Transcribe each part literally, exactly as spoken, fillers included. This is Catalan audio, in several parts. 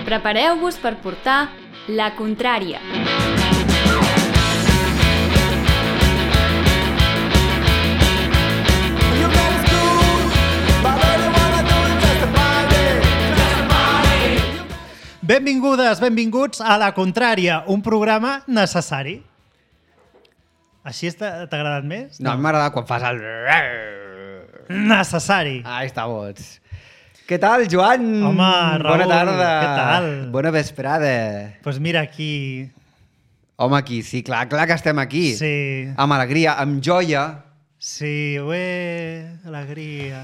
Prepareu-vos per portar La Contrària. Benvingudes, benvinguts a La Contrària, un programa necessari. Així t'ha agradat més? No, a mi m'agrada quan fas el... Necessari. Ahí està, bots. Què tal, Joan? Home, Raül, bona tarda. què tal? Bona vesprada. Doncs pues mira, aquí... Home, aquí, sí, clar, clar que estem aquí. Sí. Amb alegria, amb joia. Sí, ué, alegria.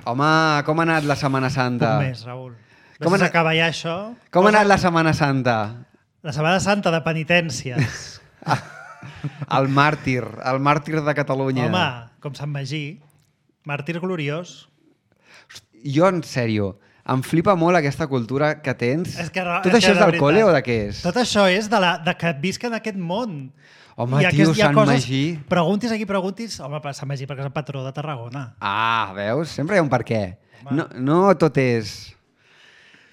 Home, com ha anat la Setmana Santa? Poc més, Raül. Com Com ha anat- s'acaba ja això? Com ha anat la Setmana Santa? La Setmana Santa de penitències. El màrtir, el màrtir de Catalunya. Home, com Sant Magí, màrtir gloriós. Jo, en sèrio, em flipa molt aquesta cultura que tens. És que, Tot és això que, és de del veritat, col·le o de què és? Tot això és de, la, de que visc en aquest món. Home, I tio, aquest- hi ha Sant coses- Magí. Preguntis aquí, preguntis... Home, per Sant Magí, perquè és el patró de Tarragona. Ah, veus? Sempre hi ha un per què. Home. No, no tot és...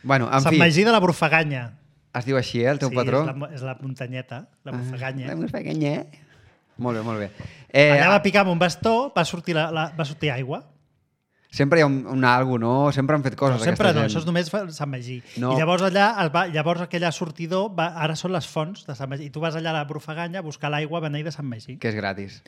Bueno, en Sant fi, Magí de la Brufaganya. es diu així, eh, el teu sí, patró? és la, és la muntanyeta, la Brufaganya. La Brufaganya. Molt bé, molt bé. Eh, Allà va picar amb un bastó, va sortir, la, la, va sortir aigua. Sempre hi ha un, un algo, no? Sempre han fet coses, No, sempre aquesta no, gent. això és només fa Sant Magí. No. I llavors allà, es va, llavors aquella sortidor, va, ara són les fonts de Sant Magí. I tu vas allà a la Brufaganya a buscar l'aigua beneïda de Sant Magí. Que és gratis.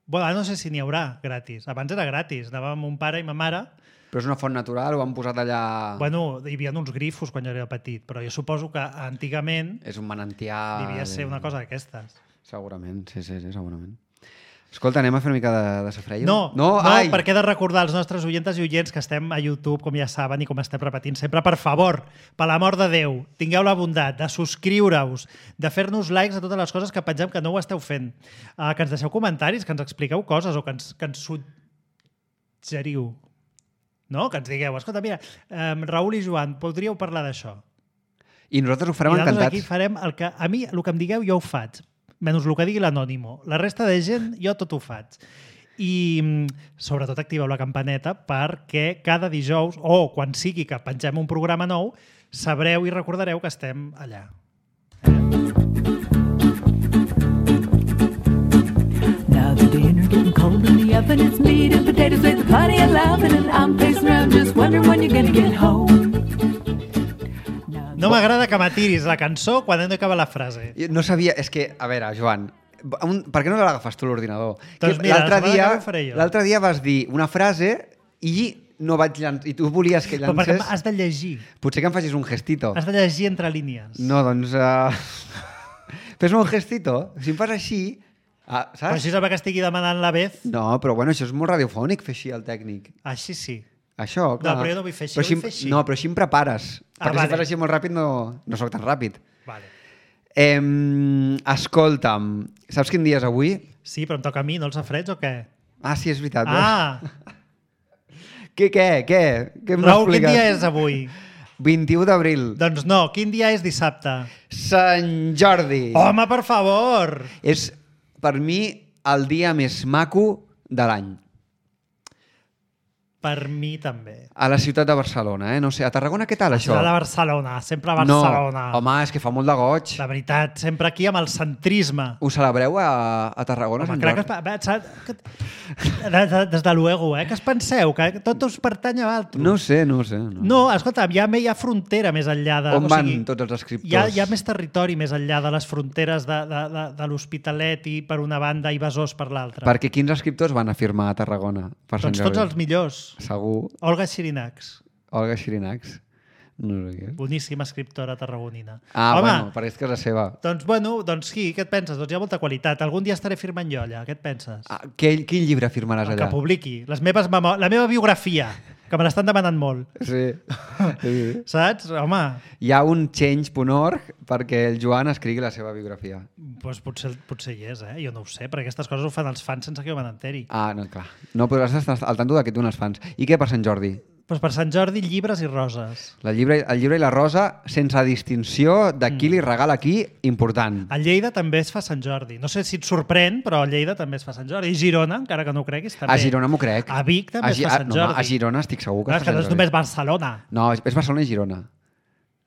Bueno, ara no sé si n'hi haurà gratis. Abans era gratis. Anàvem amb un pare i ma mare. Però és una font natural, ho han posat allà... Bueno, hi havia uns grifos quan jo era petit, però jo suposo que antigament És un manantial... devia ser una cosa d'aquestes. Segurament, sí, sí, sí, segurament. Escolta, anem a fer una mica de, de safreio? No, no, no ai! perquè he de recordar als nostres oients i oients que estem a YouTube, com ja saben, i com estem repetint sempre, per favor, per l'amor de Déu, tingueu la bondat de subscriure-us, de fer-nos likes a totes les coses que pengem que no ho esteu fent, uh, que ens deixeu comentaris, que ens expliqueu coses o que ens, que ens suggeriu. No? Que ens digueu, escolta, mira, um, Raül i Joan, podríeu parlar d'això. I nosaltres ho farem I nosaltres encantats. aquí farem el que... A mi, el que em digueu, jo ho faig. Menys el que digui l'anònimo. La resta de gent, jo tot ho faig. I mm, sobretot activeu la campaneta perquè cada dijous, o quan sigui que pengem un programa nou, sabreu i recordareu que estem allà. Now the dinner getting cold in the oven, it's meat and potatoes with plenty of laughing, and I'm pacing around just wondering when you're gonna get home. No m'agrada que m'atiris la cançó quan hem d'acabar la frase. Jo no sabia... És que, a veure, Joan, un, per què no l'agafes tu l'ordinador? Doncs Que mira, l'altre la setmana dia, que ve ho faré jo. l'altre dia vas dir una frase i no vaig llançar... I tu volies que Però perquè llancés... has de llegir. Potser que em facis un gestito. Has de llegir entre línies. No, doncs... Uh... Fes-me un gestito. Si em fas així... Ah, Però saps? així és perquè estigui demanant la vez. No, però bueno, això és molt radiofònic, fer així el tècnic. Així sí. Això, clar. però jo no vull fer així, Però vull em- fer així. No, però així em prepares. Ah, perquè vale. si fas així molt ràpid no, no sóc tan ràpid. Vale. Eh, escolta'm, saps quin dia és avui? Sí, però em toca a mi, no els safareig o què? Ah, sí, és veritat. Ah, Què, què, què? Què em Raül, quin expliques? dia és avui? vint-i-u d'abril. Doncs no, quin dia és dissabte? Sant Jordi. Home, per favor! És, per mi, el dia més maco de l'any. Per mi també. A la ciutat de Barcelona, eh? No sé, a Tarragona què tal, això? Ciutat de Barcelona, sempre a Barcelona. No, home, és que fa molt de goig. La veritat, sempre aquí amb el centrisme. Ho celebreu a, a Tarragona, Home, Sant crec que... Jordi? es pa- saps que- de- de- Des de luego, eh? Que es penseu? Que tot us pertany a altres? No ho sé, no ho sé. No, No, escolta, hi ha, hi ha frontera més enllà de... On o van sigui, tots els escriptors? Hi ha, hi ha més territori més enllà de les fronteres de, de, de, de l'Hospitalet i per una banda i Besòs per l'altra. Perquè quins escriptors van a firmar a Tarragona per Sant Doncs Jordi? tots els millors. Segur. Olga Xirinacs, Olga Xirinacs. No sé què és. boníssima escriptora tarragonina. Ah, Home, bueno, perquè és casa seva. doncs, bueno, doncs sí, què et penses? Doncs hi ha molta qualitat. Algun dia estaré firmant jo allà, què et penses? Ah, què, quin llibre firmaràs El allà? que publiqui, les meves memo... la meva biografia, que me l'estan demanant molt. Sí. sí. Saps? Home, Hi ha un change punt org perquè el Joan escrigui la seva biografia. doncs potser, potser hi és, eh? Jo no ho sé, perquè aquestes coses ho fan els fans sense que jo me n'enteri. Ah, no, clar. No podràs estar al tanto d'aquest d'un els fans. I què per Sant Jordi? Doncs per Sant Jordi, llibres i roses. La llibre, el llibre i la rosa, sense distinció de qui li regala qui, important. A Lleida també es fa Sant Jordi. No sé si et sorprèn, però a Lleida també es fa Sant Jordi. I Girona, encara que no ho creguis, també. A Girona m'ho crec. A Vic també a, es fa Sant no, Jordi. a Girona estic segur que Clar, es és fa que no Sant és Jordi. només Barcelona. No, és és Barcelona i Girona.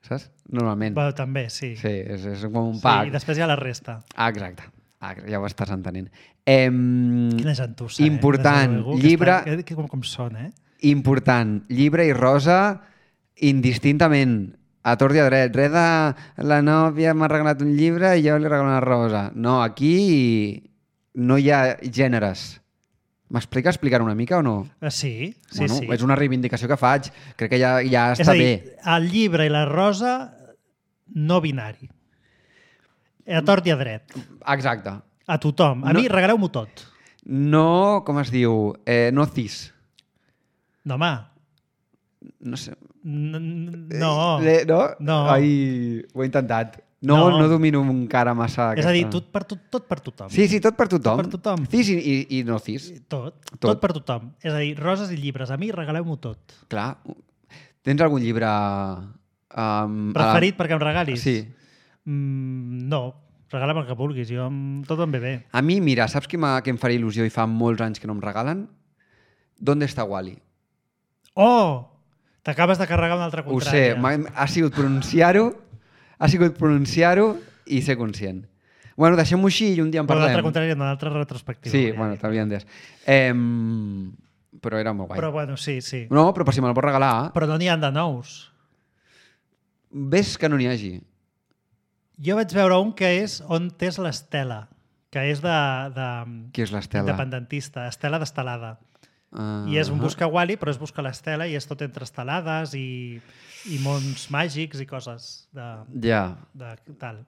saps? Normalment. Bueno, també, sí. Sí, és, és com un Sí, pack. i després hi ha la resta. Ah, exacte. Ah, ja ho estàs entenent. Em, Quina gentussa, important, eh? Des de llibre, que, està, que, com, com sona, eh? important, llibre i rosa indistintament, a tort i a dret. Res de la nòvia m'ha regalat un llibre i jo li regalo una rosa. No, aquí no hi ha gèneres. M'explica explicar una mica o no? Uh, sí, sí, bueno, sí. És una reivindicació que faig. Crec que ja, ja És està a dir, bé. el llibre i la rosa no binari. A tort i a dret. Exacte. A tothom. A No- mi regaleu-m'ho tot. No, com es diu? Eh, no cis. No, home. No sé. N- n- No. Eh, no? No. Ai, ho he intentat. No, No. no, domino encara massa És aquesta. a dir, tot per, tot, tot per tothom. Sí, sí, tot per tothom. Tot per tothom. Cis i, i, i no cis. Tot, tot. Tot. Tot per tothom. És a dir, roses i llibres. A mi regaleu-m'ho tot. Clar. Tens algun llibre... Um, Preferit a perquè em la... regalis? Sí. Mm, no. Regala'm el que vulguis. Jo, em- tot em ve bé. A mi, mira, saps què, que em faria il·lusió i fa molts anys que no em regalen? ¿Dónde està Wally? Oh! T'acabes de carregar una altra Ho contrària. sé, m'ha- ha sigut pronunciar-ho, ha sigut pronunciar-ho i ser conscient. Bueno, deixem-ho així i un dia en Però l'altra parlem. contrària, una altra retrospectiva. Sí, volia bueno, dir. t'havia entès. Eh, però era molt guai. Però bueno, sí, sí. No, però per si me'l pots regalar, Però no n'hi ha de nous. ves que no n'hi hagi. Jo vaig veure un que és On t'és l'Estela, que és de, de Qui és l'Estela? independentista, Estela d'Estelada. Uh, I és un busca Wally, però és buscar l'Estela i és tot entre estelades i, i mons màgics i coses de, Ja. de tal.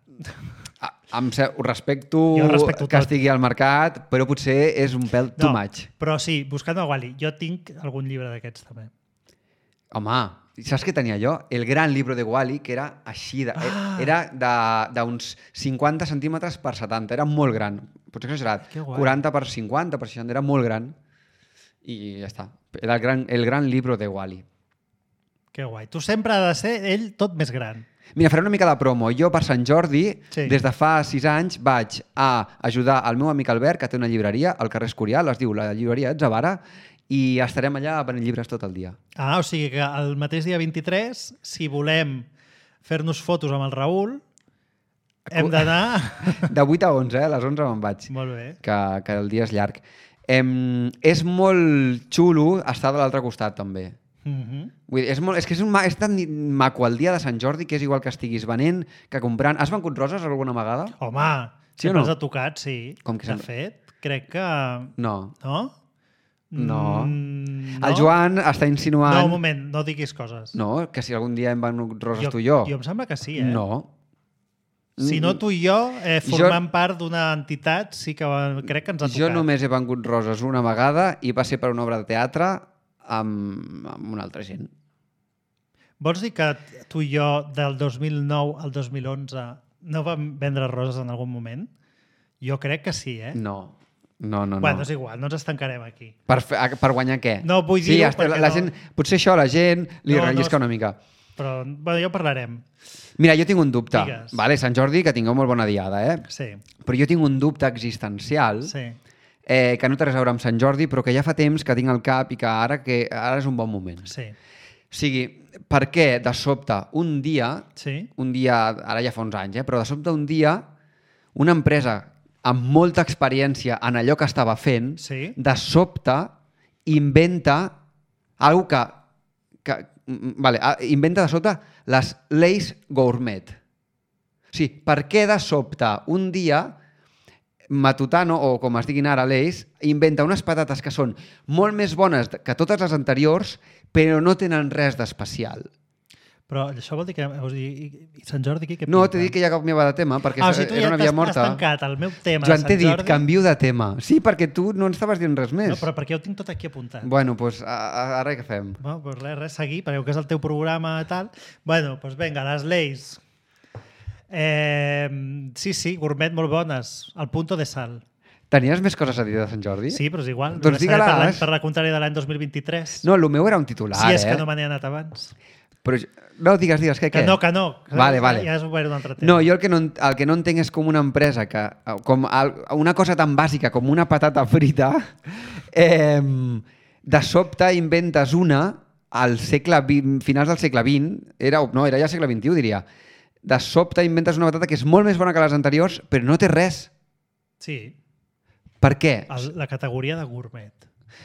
Ah, em sé, ho respecto, Jo respecto que tot. estigui al mercat, però potser és un pèl too much. Però sí, buscant el Wally. Jo tinc algun llibre d'aquests també. Home, saps què tenia jo? El gran llibre de Wally, que era així, de, Ah. era de- d'uns cinquanta centímetres per setanta, era molt gran. Potser exagerat. Que guai. quaranta per cinquanta, per seixanta, era molt gran. I ja està. Era el gran, el gran llibre de Wally. Que guai. Tu sempre ha de ser ell tot més gran. Mira, faré una mica de promo. Jo, per Sant Jordi, Sí. des de fa sis anys, vaig a ajudar el meu amic Albert, que té una llibreria al carrer Escorial, es diu la llibreria Etzavara, i estarem allà venent llibres tot el dia. Ah, o sigui que el mateix dia vint-i-tres, si volem fer-nos fotos amb el Raül, hem d'anar... De vuit a onze, eh? A les onze me'n vaig. Molt bé. Que, que el dia és llarg. Em, és molt xulo estar de l'altre costat, també. Mhm. Vull dir, és, molt, és que és, un, ma- és tan maco el dia de Sant Jordi que és igual que estiguis venent que comprant. Has venut roses alguna vegada? Home, Sí o sempre no? els ha tocat, sí. Com que de sempre- fet, crec que... No. No? No. Mm, El Joan està insinuant... No, un moment, no diguis coses. No, que si algun dia hem venut roses tu i jo. Jo em sembla que sí, eh? No. Si no tu i jo, eh, Jo- formant part d'una entitat, sí que crec que ens ha tocat. Jo només he vengut roses una vegada i va ser per una obra de teatre amb, amb una altra gent. Vols dir que tu i jo, del dos mil nou al dos mil onze, no vam vendre roses en algun moment? Jo crec que sí, eh? No. No, no, no. Bueno, és igual, no ens estancarem aquí. Per, fe, per guanyar què? No vull sí, dir-ho hasta perquè la no- gent, potser això a la gent li No, no rellisca es- una mica. Però, bueno, ja ho parlarem. Mira, jo tinc un dubte. Digues. Vale, Sant Jordi, que tingueu molt bona diada, eh? Sí, Però jo tinc un dubte existencial sí. eh, que no té res a veure amb Sant Jordi, però que ja fa temps que tinc al cap i que ara, que ara és un bon moment. Sí. O sigui, per què de sobte un dia, Sí? un dia, ara ja fa uns anys, eh, però de sobte un dia, una empresa amb molta experiència en allò que estava fent, Sí. de sobte inventa algo que, que mm, vale, ah, inventa de sobte les Lay's Gourmet. O sigui, per què de sobte un dia Matutano, o com es diguin ara Lay's, inventa unes patates que són molt més bones que totes les anteriors, però no tenen res d'especial? Però això vol dir que... O sigui, i Sant Jordi aquí què No, pinta? t'he dit que ja canviava de tema, perquè Ah, o sigui, tu era ja una via t'has morta. has tancat el meu tema Joan, de t'he Sant dit, Jordi. canvio de tema. Sí, perquè tu no ens estaves dient res més. No, però perquè jo ho tinc tot aquí apuntat. Bueno, doncs a, a, ara què fem? Bueno, pues res, res, seguir, perquè que és el teu programa i tal. Bueno, doncs vinga, les Lay's. Eh, sí, sí, gourmet molt bones. Al punto de sal. Tenies més coses a dir de Sant Jordi? Sí, però és igual. Doncs Serà digue-les. Per, l'any- per la contrària de l'any dos mil vint-i-tres. No, el meu era un titular, si és eh? que no me n'he anat abans. Però, jo- no, digues, digues, què, Que què? no, que no. Vale, vale. Ja és obert un altre tema. No, jo el que no, en- el que no entenc és com una empresa que, com el, una cosa tan bàsica com una patata frita, eh, de sobte inventes una al segle vint, finals del segle vint, era, no, era ja segle vint-i-u, diria. De sobte inventes una patata que és molt més bona que les anteriors, però no té res. Sí. Per què? El, la categoria de gourmet.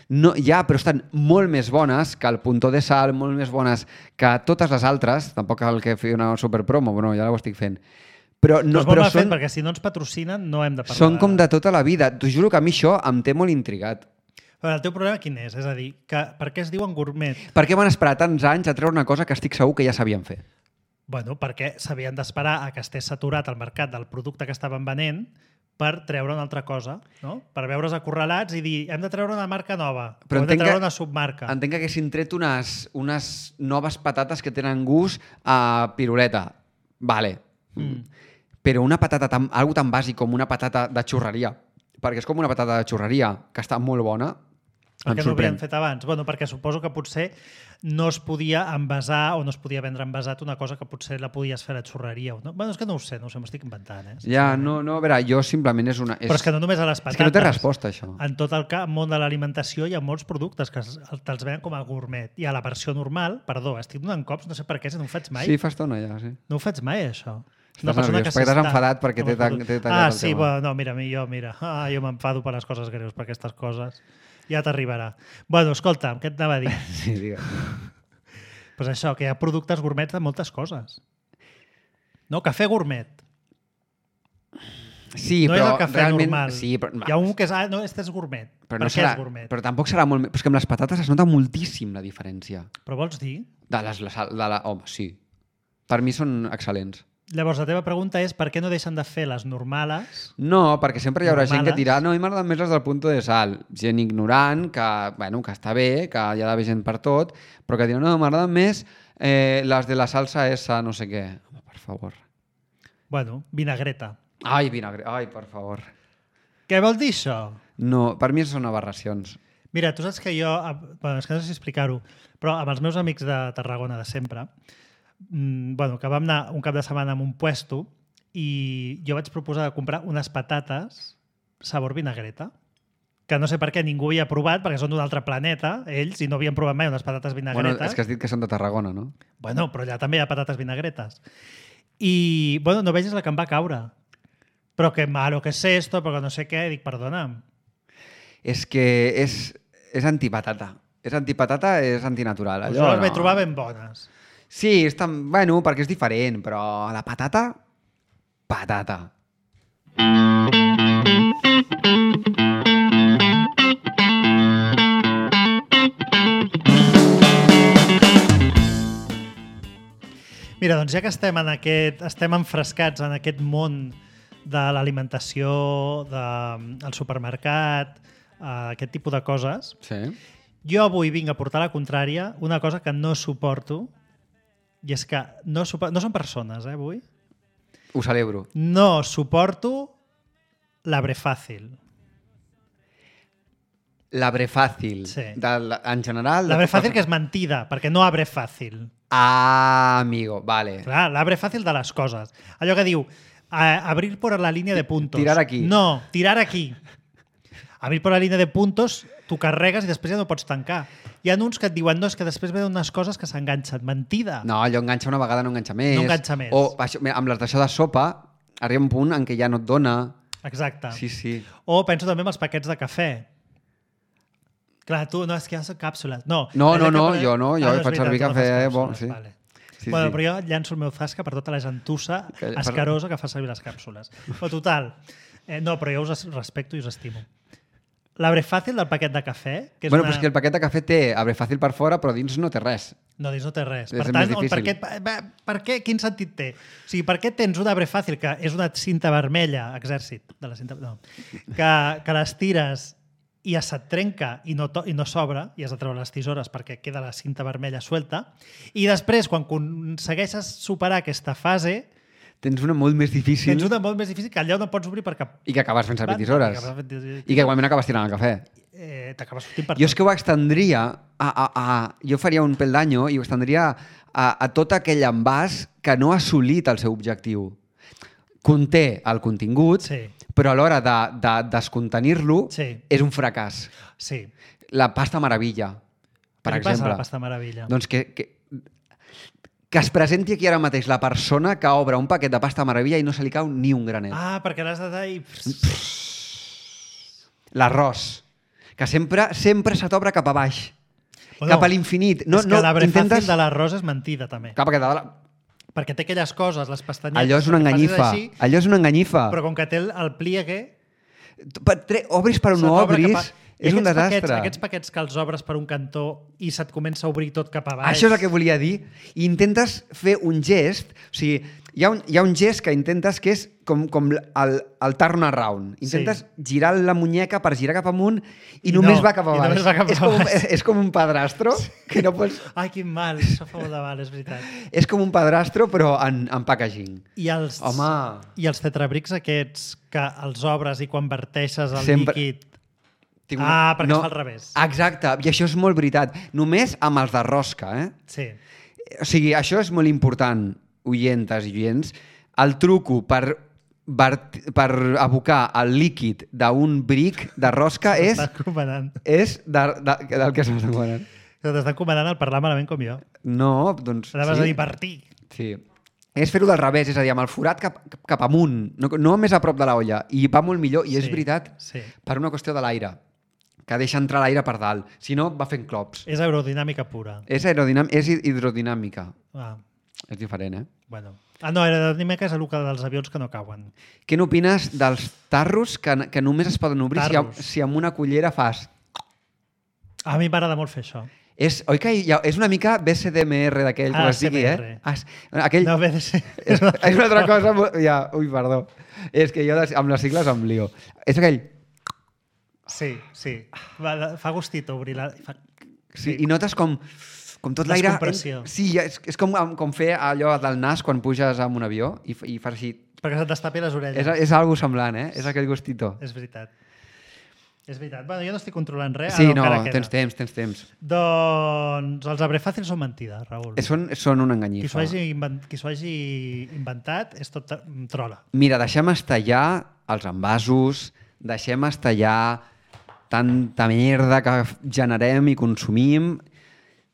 No, ja, però estan molt més bones que el Puntó de Sal, molt més bones que totes les altres. Tampoc cal que fer una superpromo, bueno, ja ho estic fent. Però, no, però, però són... són, perquè si no ens patrocinen no hem de parlar. són com de tota la vida. T'ho juro que a mi això em té molt intrigat. Però el teu problema quin és? És a dir, que, per què es diuen gourmet? Per què van esperar tants anys a treure una cosa que estic segur que ja sabien fer? Bueno, perquè s'havien d'esperar a que estés saturat el mercat del producte que estaven venent per treure una altra cosa, no? Per veure's acorralats i dir, hem de treure una marca nova, però hem de treure que, una submarca. Entenc que haguessin tret unes, unes noves patates que tenen gust a piruleta. Vale. Mm. Però una patata, tan, algo tan bàsic com una patata de xurreria, perquè és com una patata de xurreria, que està molt bona, el que no havien fet abans. Bueno, perquè suposo que potser no es podia envasar o no es podia vendre envasat una cosa que potser la podies fer a la xurreria. No? Bueno, és que no ho sé, no ho sé, m'estic inventant. Eh? Ja, no, no, a veure, jo simplement és una... És... Però és que no només a les patates. És que no té resposta, això. En tot el món de l'alimentació hi ha molts productes que te'ls venen com a gourmet. I a la versió normal, perdó, estic donant cops, no sé per què, si no ho faig mai. Sí, fa estona ja, sí. No ho faig mai, això. Estàs nerviós, perquè t'has enfadat perquè t'he tallat Ah, sí, bueno, no, mira, jo, mira. Ah, jo m'enfado per les coses greus, per aquestes coses. Ja t'arribarà. Bueno, escolta, què et anava a dir? Sí, digues. Pues això, que hi ha productes gourmets de moltes coses. No? Cafè gourmet. Sí, no però és el cafè realment... normal. Sí, però... Hi ha un que és... Ah, no, este és gourmet. Però per no què serà... és gourmet? Però tampoc serà molt... Però és que amb les patates es nota moltíssim la diferència. Però vols dir? De les... De la... Home, sí. Per mi són excel·lents. Llavors, la teva pregunta és per què no deixen de fer les normales? No, perquè sempre hi haurà normales. gent que dirà no, a mi m'agraden més les del Punto de Sal. Gent ignorant, que, bueno, que està bé, que hi ha d'haver gent per tot, però que dirà no, m'agraden més eh, les de la salsa essa, no sé què. Home, per favor. Bueno, vinagreta. Ai, vinagre... Ai, per favor. Què vol dir això? No, per mi són aberracions. Mira, tu saps que jo... Bueno, és que no sé si explicar-ho, però amb els meus amics de Tarragona de sempre, mmm, bueno, que vam anar un cap de setmana en un puesto i jo vaig proposar de comprar unes patates sabor vinagreta, que no sé per què ningú havia provat, perquè són d'un altre planeta, ells, i no havien provat mai unes patates vinagretes. Bueno, és que has dit que són de Tarragona, no? Bueno, però allà també hi ha patates vinagretes. I, bueno, no vegis la que em va caure. Però que malo que és esto, però no sé què. Dic, perdona'm. És que és, és antipatata. És antipatata, és antinatural. Allò, Allò, jo les no. vaig trobar ben bones. Sí, és tan... bueno, perquè és diferent, però la patata... Patata. Mira, doncs ja que estem en aquest, estem enfrescats en aquest món de l'alimentació, del supermercat, uh, aquest tipus de coses, Sí. jo avui vinc a portar la contrària una cosa que no suporto, i és que no, supor... no són persones, eh, avui? Ho celebro. No suporto l'arbre fàcil. L'arbre fàcil. Sí. Del, en general... L'arbre fàcil que és mentida, perquè no arbre fàcil. Ah, amigo, vale. Clar, l'arbre fàcil de les coses. Allò que diu, a abrir por la línia de puntos. Tirar aquí. No, tirar aquí. Abrir por la línia de puntos, tu carregues i després ja no pots tancar. Hi ha uns que et diuen, no, és que després venen unes coses que s'enganxen. Mentida. No, allò enganxa una vegada, no enganxa més. No enganxa més. O això, mira, amb les d'això de sopa, arriba un punt en què ja no et dona. Exacte. Sí, sí. O penso també en els paquets de cafè. Clar, tu, no, és que ja són càpsules. No, No, no, és no, que... jo no, jo ah, no faig veritat, servir tu no cafè, fas bo, càpsules, sí. Vale. Sí, bueno, sí. però jo llanço el meu zasca per tota la gentussa Que- escarosa que fa servir les càpsules. Però total, eh, no, però jo us respecto i us estimo. L'arbre fàcil del paquet de cafè, que és Bueno, una... però és que el paquet de cafè té arbre fàcil per fora, però dins no té res. No, dins no té res. És Per més tant, difícil. per què, per, per què, quin sentit té? O sigui, per què tens un arbre fàcil, que és una cinta vermella, exèrcit, de la cinta, no, que, que les tires i se't trenca i no, to, i no s'obre, i has de treure les tisores perquè queda la cinta vermella suelta, i després, quan aconsegueixes superar aquesta fase, Tens una molt més difícil tens una molt més difícil que allà no pots obrir per cap... i que acabes fent servir banda, tisores. i acabes fent tisores. I que igualment acabes tirant el cafè. Eh, T'acabes sortint per Jo és que ho extendria a, a, a... Jo faria un pel d'anyo i ho extendria a, a tot aquell envàs que no ha assolit el seu objectiu. Conté el contingut, Sí. però a l'hora de, de descontenir-lo Sí. és un fracàs. Sí. La pasta meravella. per Què li passa a exemple. la pasta meravella? Doncs que, que, que es presenti aquí ara mateix la persona que obre un paquet de pasta meravella i no se li cau ni un granet. Ah, perquè l'has de dar i... L'arròs, que sempre sempre se t'obre cap a baix, Bueno, cap a l'infinit. No, és que no, l'arbre intentes... fàcil de l'arròs és mentida, també. Cap a cada... Perquè té aquelles coses, les pastanyetes... Allò és una que facis enganyifa. així, Allò és una enganyifa. però com que té el, el pliegue... Per, tre, obris per on se no t'obre obris, cap a- I és un aquests desastre. Paquets, aquests paquets que els obres per un cantó i se't comença a obrir tot cap a baix... Això és el que volia dir. I intentes fer un gest, o sigui, hi ha un, hi ha un gest que intentes que és com, com el, el turn around. Intentes sí. girar la muñeca per girar cap amunt i, I només no, va cap a i baix. només va cap a és, com, baix. és, és com un padrastro que no pots... Ai, quin mal, això fa molt de mal, és veritat. És com un padrastro però en, en packaging. I els, Home. I els tetrabrics aquests que els obres i quan verteixes el Sempre- líquid... Tinc Ah, perquè es fa al revés. Exacte, i això és molt veritat. Només amb els de rosca, eh? Sí. O sigui, això és molt important, oientes i oients. El truco per, per abocar el líquid d'un bric de rosca és, T'està encomanant. és de, de, del que s'està encomanant. T'està encomanant el parlar malament com jo. No, doncs... Anaves sí. a dir partir. Sí. És fer-ho del revés, és a dir, amb el forat cap, cap amunt, no, no més a prop de l'olla, i va molt millor, i és Sí, veritat, sí. per una qüestió de l'aire, que deixa entrar l'aire per dalt, si no va fent clops. És aerodinàmica pura. És, aerodinàm és hidrodinàmica, Ah, és diferent, eh? bueno. Ah, no, aerodinàmica és el que dels avions que no cauen. Què n'opines dels tarros que, que només es poden obrir si, Tarros. si amb una cullera fas... A mi m'agrada molt fer això. És, oi que hi ha, és una mica B C D M R d'aquell, Ah, com es digui, C M R. eh? Ah, és- aquell, No, bé de ser... és, és una altra cosa... molt- Ja, ui, perdó. És que jo de- amb les sigles em lio. És aquell... Sí, sí. Va, fa gustit obrir la... Fa... Sí, i notes com, com tot l'aire... Descompressió. Sí, és, és com, com fer allò del nas quan puges amb un avió i, f- i fas així... Perquè se't destapi les orelles. És, és algo semblant, eh? És aquell gustito. És veritat. És veritat. Bueno, jo no estic controlant res. Sí, Ah, no, encara queda. tens temps, tens temps. Doncs els abre fàcils són mentida, Raül. Eh, Són, són una Qui s'ho enganyifa. hagi, invent... Qui s'ho hagi inventat és tot trola. Mira, deixem estallar els envasos, deixem estallar tanta merda que generem i consumim.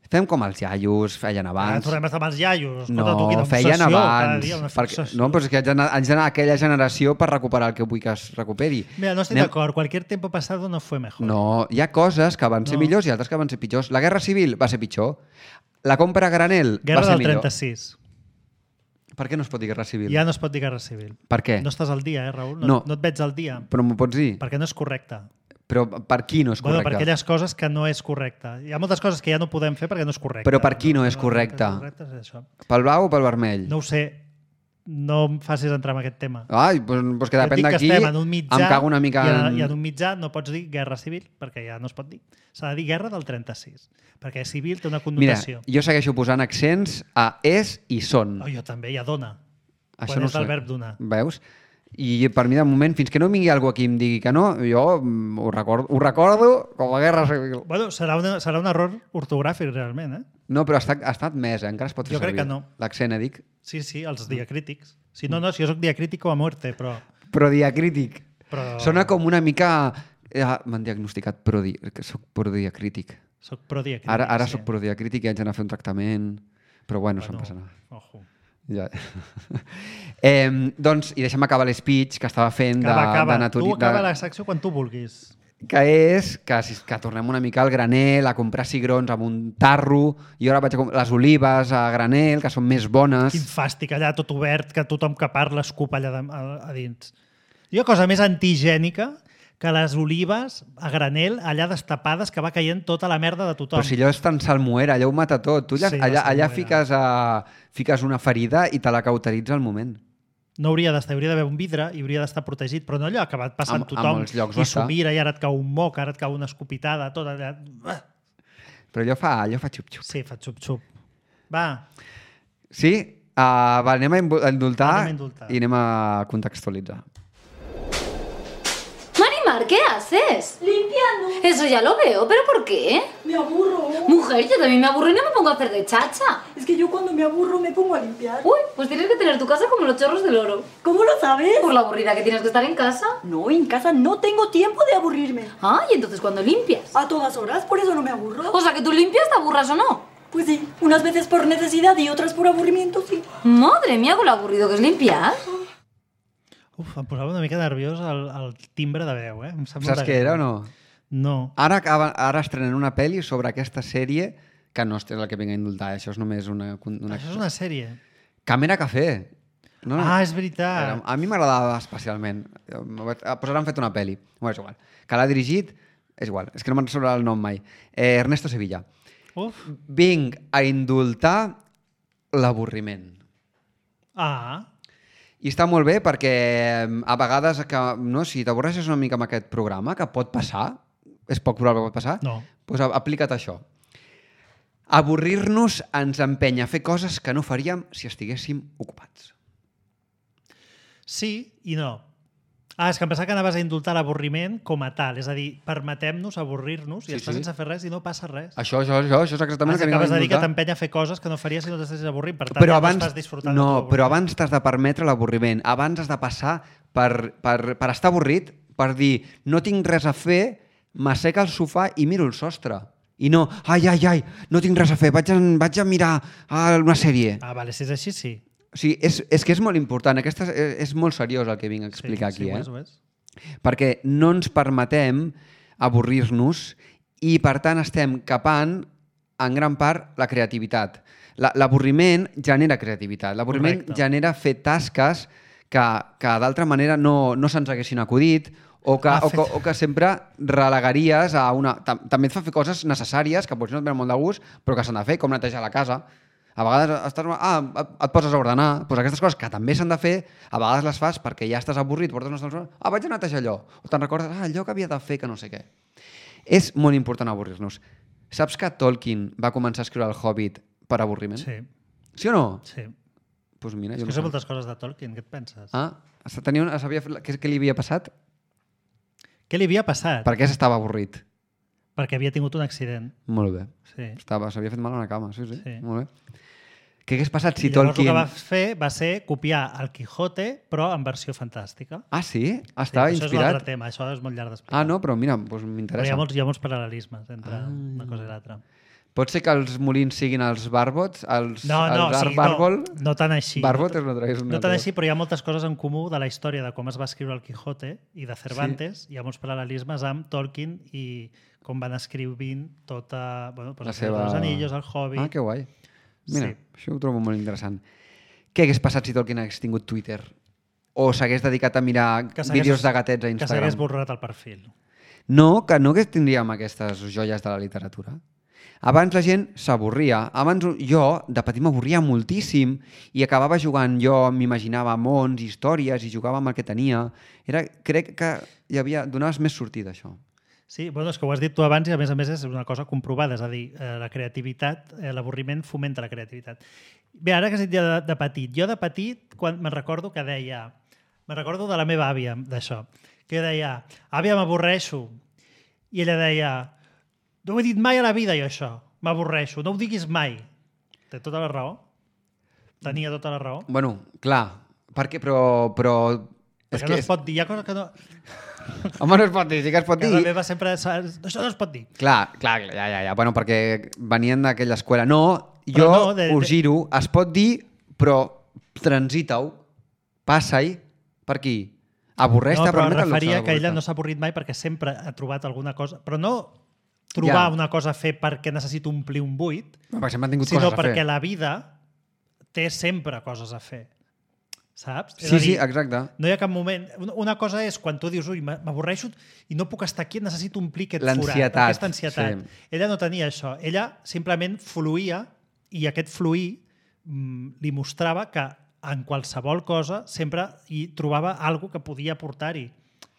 Fem com els iaios feien Ara abans. tornem a estar amb els iaios. No, Escolta, tu, quina feien obsessió, cada abans. dia una Perquè, obsessió. no, però és que haig d'anar haig d'anar a aquella generació per recuperar el que vull que es recuperi. Mira, no estic Anem- d'acord. Cualquier tiempo pasado no fue mejor. No, hi ha coses que van ser No. millors i altres que van ser pitjors. La Guerra Civil va ser pitjor. La compra a granel Guerra va ser del millor. trenta-sis. Per què no es pot dir Guerra Civil? Ja no es pot dir guerra civil. Per què? No estàs al dia, eh, Raül? No, No. no et veig al dia. Però m'ho pots dir? Perquè no és correcte. Però per qui no és Bueno, correcte? per aquelles coses que no és correcte. Hi ha moltes coses que ja no podem fer perquè no és correcte. Però per qui no és correcte? No, correcte és això. Pel blau o pel vermell? No ho sé. No em facis entrar en aquest tema. Ai, doncs, doncs que Jo et depèn dic que d'aquí, estem en un mitjà, em cago una mica i, en, en... i en un mitjà no pots dir guerra civil, perquè ja no es pot dir. S'ha de dir guerra del trenta-sis, perquè civil té una Mira, connotació. jo segueixo posant accents a és i són. Oh, jo també, ja dona. Això Quan no és del sé. verb donar. Veus? I per mi, de moment, fins que no vingui algú aquí i em digui que no, jo mm, ho recordo, ho recordo com a Guerra Civil. Bueno, serà, una, serà un error ortogràfic, realment, eh? No, però està, ha estat més, eh? Encara es pot fer Jo crec servir. que no. L'accent, eh, dic. Sí, sí, els diacrítics. Si no, no, si jo soc diacrítico a muerte, però... Però diacrític. però... Sona com una mica... Eh, M'han diagnosticat prodi... que soc prodiacrític. Soc prodiacrític, Ara, ara sí. soc prodiacrític i haig d'anar a fer un tractament. Però bueno, això no Bueno, passa nada. Ojo. Ja. eh, doncs, i deixa'm acabar l'espeech que estava fent de, Acaba, acaba. de naturi... Tu acaba de... la secció quan tu vulguis. Que és que, si- que tornem una mica al granel, a comprar cigrons amb un tarro, i ara vaig a comprar les olives a granel, que són més bones. Quin fàstic, allà tot obert, que tothom que parla escup allà de, a, a dins. Hi ha cosa més antigènica que les olives a granel, allà destapades, que va caient tota la merda de tothom. Però si allò és tan salmuera, allò ho mata tot. Tu allà, Sí, allà, la allà salmuera. fiques, a, fiques una ferida i te la cauteritza al moment. No hauria d'estar, hauria d'haver un vidre i hauria d'estar protegit, però no allò ha acabat passant En- en tothom molts llocs i ho està. s'ho mira i ara et cau un moc, ara et cau una escopitada, tot allà. Ah! Però allò fa, allò fa xup-xup. Sí, fa xup-xup. Va, Sí? Uh, va, anem a invu- a indultar, Anem a indultar. i anem a contextualitzar. Marimar, ¿qué haces? haces? Limpiando. Eso ya lo veo, ¿pero por qué? Me aburro. Mujer, yo también me aburro y no me pongo a hacer de chacha. Es que yo cuando me aburro me pongo a limpiar. Uy, pues tienes que tener tu casa como los chorros del oro. ¿Cómo lo sabes? Por la aburrida que tienes que estar en casa. No, en casa no tengo tiempo de aburrirme. Ah, ¿y entonces cuando limpias? A todas horas, por eso no me aburro. O sea, que tú limpias, te aburras o no. Pues sí, unas veces por necesidad y otras por aburrimiento, sí. Madre mía, con lo aburrido que es limpiar. Uf, em posava una mica nerviós el, el timbre de veu, eh? Em sap Saps molt de què era o greu. no? No. Ara, acaba, ara estrenen una pel·li sobre aquesta sèrie que no és la que vinc a indultar, això és només una... una... Això és una sèrie. Càmera Café. No, no. Ah, és veritat. A mi m'agradava especialment. Pues ara han fet una pel·li. Bueno, és igual. Que l'ha dirigit... És igual, és que no me'n surt el nom mai. Eh, Ernesto Sevilla. Uf. Vinc a indultar l'avorriment. Ah. I està molt bé perquè a vegades, que, no, si t'avorreixes una mica amb aquest programa, que pot passar, és poc probable que pot passar, No. doncs aplica't això. Avorrir-nos ens empenya a fer coses que no faríem si estiguéssim ocupats. Sí i no. Ah, és que em pensava que anaves a indultar l'avorriment com a tal. És a dir, permetem-nos avorrir-nos i Sí, estar sí. sense fer res i no passa res. Això, això, això, això és exactament Ah, el que vinc a acabes de dir que indultar. t'empenya a fer coses que no faries si no t'estessis avorrint. Per tant, Però ja abans, no estàs disfrutant no, del teu però avorriment. abans t'has de permetre l'avorriment. Abans has de passar per, per, per estar avorrit, per dir no tinc res a fer, m'asseca al sofà i miro el sostre. I no, ai, ai, ai, no tinc res a fer, vaig a, vaig a mirar ah, una sèrie. Ah, vale, si és així, sí. O sigui, és, és que és molt important. Aquesta és, és molt seriós el que vinc a explicar sí, aquí. sí, ho eh? és, ho és. Perquè no ens permetem avorrir-nos i, per tant, estem capant en gran part la creativitat. La- L'avorriment genera creativitat. L'avorriment Correcte. genera fer tasques que, que d'altra manera no, no se'ns haguessin acudit o que, Ah, o, que, fet. o que sempre relegaries a una... Tam- També et fa fer coses necessàries que potser no et venen molt de gust, però que s'han de fer, com netejar la casa. A vegades estàs, ah, et, et poses a ordenar. Pues aquestes coses que també s'han de fer, a vegades les fas perquè ja estàs avorrit, portes una estona, ah, vaig a netejar allò. O te'n recordes, ah, allò que havia de fer, que no sé què. És molt important avorrir-nos. Saps que Tolkien va començar a escriure El Hobbit per avorriment? Sí, Sí o no? sí. Pues mira, És jo que no són sé. moltes coses de Tolkien, què et penses? Ah, tenia una, sabia, fer- què, què li havia passat? Què li havia passat? Per què s'estava avorrit? Perquè havia tingut un accident. Molt bé. Sí. Estava, s'havia fet mal a una cama, sí, sí. Sí. Molt bé. Què hagués passat si I llavors Tolkien... el que va fer va ser copiar el Quijote, però en versió fantàstica. Ah, sí? Estava sí, això és inspirat? l'altre tema, això és molt llarg d'explicar. Ah, no, però mira, doncs Però hi m'interessa. ha molts, hi ha molts paral·lelismes entre Ah. una cosa i l'altra. Pot ser que els molins siguin els barbots? Els, No, no, els sí, Art Barbol? no, no tan així. Barbot és una altra. És una No tan altra. així, però hi ha moltes coses en comú de la història de com es va escriure el Quijote i de Cervantes. Sí. Hi ha molts paral·lelismes amb Tolkien i com van escrivint tota... Bueno, doncs La el Senyor seva- dels Anillos, el Hobbit... Ah, que guai. Mira, Sí. això ho trobo molt interessant. Què hagués passat si Tolkien hagués tingut Twitter? O s'hagués dedicat a mirar Que s'hagués- vídeos de gatets a Que s'hagués Instagram? borrat el perfil. No, que no hagués tindríem aquestes joies de la literatura. Abans la gent s'avorria. Abans jo, de petit, m'avorria moltíssim i acabava jugant jo, m'imaginava mons, històries i jugava amb el que tenia. Era, crec que hi havia, donaves més sortida, això. Sí, bueno, és que ho has dit tu abans i a més a més és una cosa comprovada, és a dir, eh, la creativitat, eh, l'avorriment fomenta la creativitat. Bé, ara que has dit ja de, de petit, jo de petit, quan me'n recordo que deia, me'n recordo de la meva àvia, d'això, que deia, àvia, m'avorreixo. I ella deia, no ho he dit mai a la vida, jo, això, m'avorreixo, no ho diguis mai. Té tota la raó. Tenia tota la raó. Bueno, clar, perquè, però... però és Perquè no es pot dir, hi ha coses que no... Home, no es pot dir, sí que es pot dir. Casa meva sempre... Això no es pot dir. Clar, clar, ja, ja, ja. Bueno, perquè venien d'aquella escola. No, jo Però no, de- us de- giro, es pot dir, però transita-ho, passa-hi, per aquí. Avorreix-te, No, però permet em el luxe referia que ella d'avorrir-te. no s'ha avorrit mai perquè sempre ha trobat alguna cosa, però no trobar Ja. una cosa a fer perquè necessito omplir un buit, No, perquè sempre han tingut sinó coses a perquè fer. la vida té sempre coses a fer. Saps? És Sí, a sí, dir, exacte. no hi ha cap moment... Una- Una cosa és quan tu dius, ui, m'avorreixo i no puc estar aquí, necessito omplir aquest forat, L'ansietat, aquesta ansietat. sí. Ella no tenia això. Ella simplement fluïa i aquest fluir mm, li mostrava que en qualsevol cosa sempre hi trobava alguna que podia aportar-hi,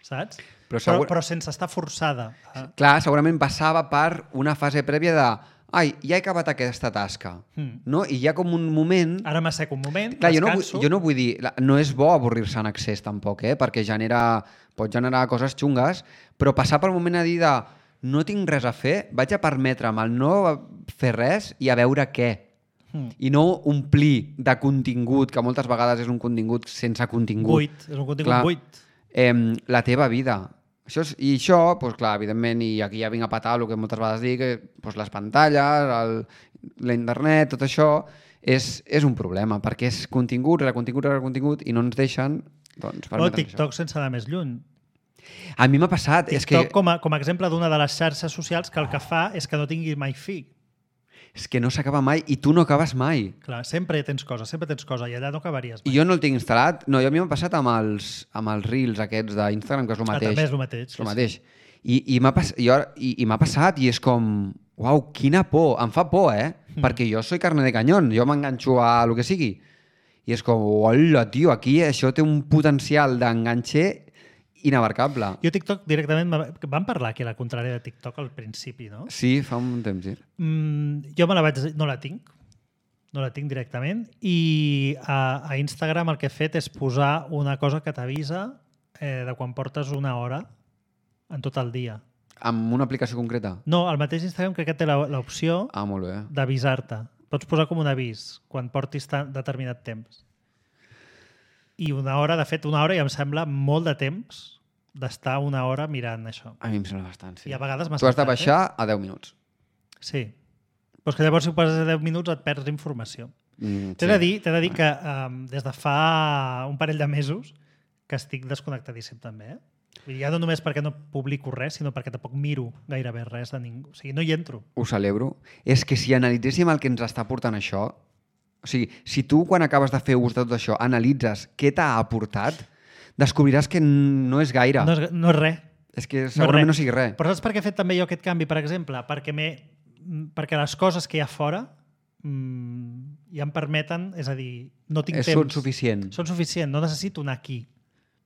saps? Però Però, segur- però sense estar forçada. a- Clar, segurament passava per una fase prèvia de ai, ja he acabat aquesta tasca, Mm. no? I hi ha com un moment... Ara m'assec un moment, Clar, jo no, vull, descanso... jo no vull dir... la- No és bo avorrir-se en excés, tampoc, eh? Perquè genera, pot generar coses xungues, però passar pel moment a dir de no tinc res a fer, vaig a permetre'm el no fer res i a veure què. Mm. I no omplir de contingut, que moltes vegades és un contingut sense contingut. Buit, és un contingut Clar, buit. Eh, la teva vida. Això és, I això, doncs, clar, evidentment, i aquí ja vinc a patar el que moltes vegades dic, que doncs, les pantalles, el, la internet, tot això, és, és un problema, perquè és contingut, rere contingut, rere contingut, i no ens deixen doncs, O permetre'ns TikTok sense anar més lluny. això. A mi m'ha passat. És que, TikTok com a, com a exemple d'una de les xarxes socials que el que fa és que no tingui mai fi. és que no s'acaba mai i tu no acabes mai. Clar, sempre tens coses, sempre tens coses, i allà no acabaries I mai. jo no el tinc instal·lat. No, jo a mi m'ha passat amb els, amb els reels aquests d'Instagram, que és el Ah, mateix. també és el mateix. És el mateix. I, i m'ha pas, jo, i, i m'ha passat i és com... Uau, quina por. Em fa por, eh? Mm. Perquè jo soy carne de canyón. Jo m'enganxo a lo que sigui. I és com, hola, tio, aquí això té un potencial d'enganxer inabarcable. Jo TikTok directament... me- Vam parlar aquí a la contrària de TikTok al principi, no? Sí, fa un temps, sí. Mm, jo me la vaig... No la tinc. No la tinc directament. I a, a Instagram el que he fet és posar una cosa que t'avisa eh, de quan portes una hora en tot el dia. Amb una aplicació concreta? No, el mateix Instagram crec que té la- l'opció Ah, molt bé. d'avisar-te. Pots posar com un avís quan portis tan, determinat temps. I una hora, de fet, una hora ja em sembla molt de temps d'estar una hora mirant això. A mi em sembla bastant, sí. I a vegades m'ha Tu has de saltat, baixar a deu minuts. Eh? Sí. Però és que llavors si ho poses a deu minuts et perds informació. Mm, T'he de dir, t'he de dir que um, des de fa un parell de mesos que estic desconnectadíssim també, eh? Vull dir, ja no només perquè no publico res, sinó perquè tampoc miro gairebé res de ningú. O sigui, no hi entro. Ho celebro. És que si analitzéssim el que ens està portant això, o sigui, si tu quan acabes de fer ús de tot això analitzes què t'ha aportat, descobriràs que no és gaire. No és, no és res. És que No és segurament res. no sigui res. Però saps per què he fet també jo aquest canvi, per exemple? Perquè, perquè les coses que hi ha fora mmm, ja em permeten, és a dir, no tinc És temps. Són suficient. Són suficient, no necessito anar aquí.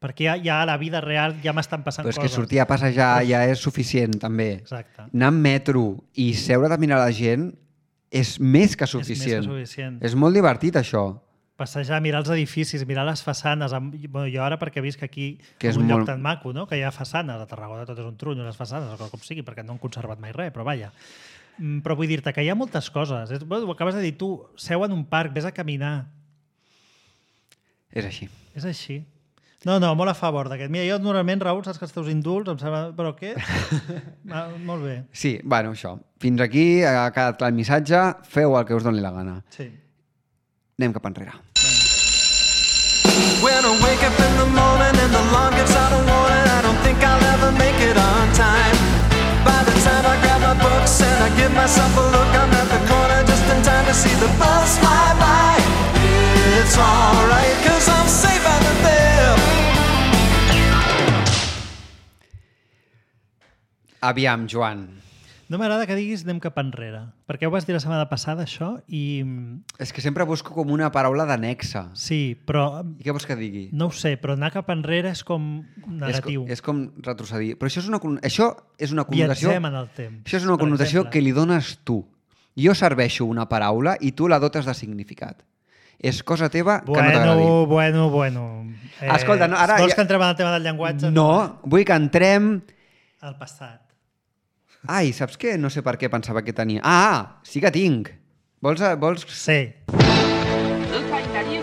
Perquè ja, ja a la vida real ja m'estan passant Però és coses. que sortir a passejar ja és suficient, també. Exacte. Anar en metro i seure de mirar la gent és més que És suficient. més que suficient. És molt divertit, això. Passejar, mirar els edificis, mirar les façanes. Amb... Bueno, jo ara perquè visc aquí Que és en un lloc molt- tan maco, no? Que hi ha façanes. A Tarragona tot és un trunyo, les façanes, o com sigui, perquè no han conservat mai res, però vaja. Mm, Però vull dir-te que hi ha moltes coses. És, bueno, ho acabes de dir tu, seu en un parc, vés a caminar. És així. És així. No, no, molt a favor d'aquest. Mira, jo normalment, Raül, saps que els teus indults, em sembla... Però què? ah, molt bé. Sí, bueno, això. Fins aquí ha quedat clar el missatge. Feu el que us doni la gana. Sí. Anem cap enrere. When I wake up in the morning and the alarm gives out a warning, I don't think I'll ever make it on time. By the time I grab my books and I give myself a look, I'm at the corner just in time to see the bus fly by. It's alright, cause I'm safe out of there. Aviam, Joan. No m'agrada que diguis anem cap enrere, perquè ho vas dir la setmana passada, això, i... És que sempre busco com una paraula d'anexa. Sí, però... I què vols que digui? No ho sé, però anar cap enrere és com negatiu. És, com, és com retrocedir. Però això és una, con- això és una connotació... Viatgem en el temps. Això és una per connotació exemple. que li dones tu. Jo serveixo una paraula i tu la dotes de significat. És cosa teva que no t'agradi. Bueno, bueno, bueno. Eh, Escolta, no, ara vols ja- que entrem en el tema del llenguatge? No, vull que entrem... Al passat. Ai, saps què? No sé per què pensava que tenia... Ah, sí que tinc. Vols... vols... Sí.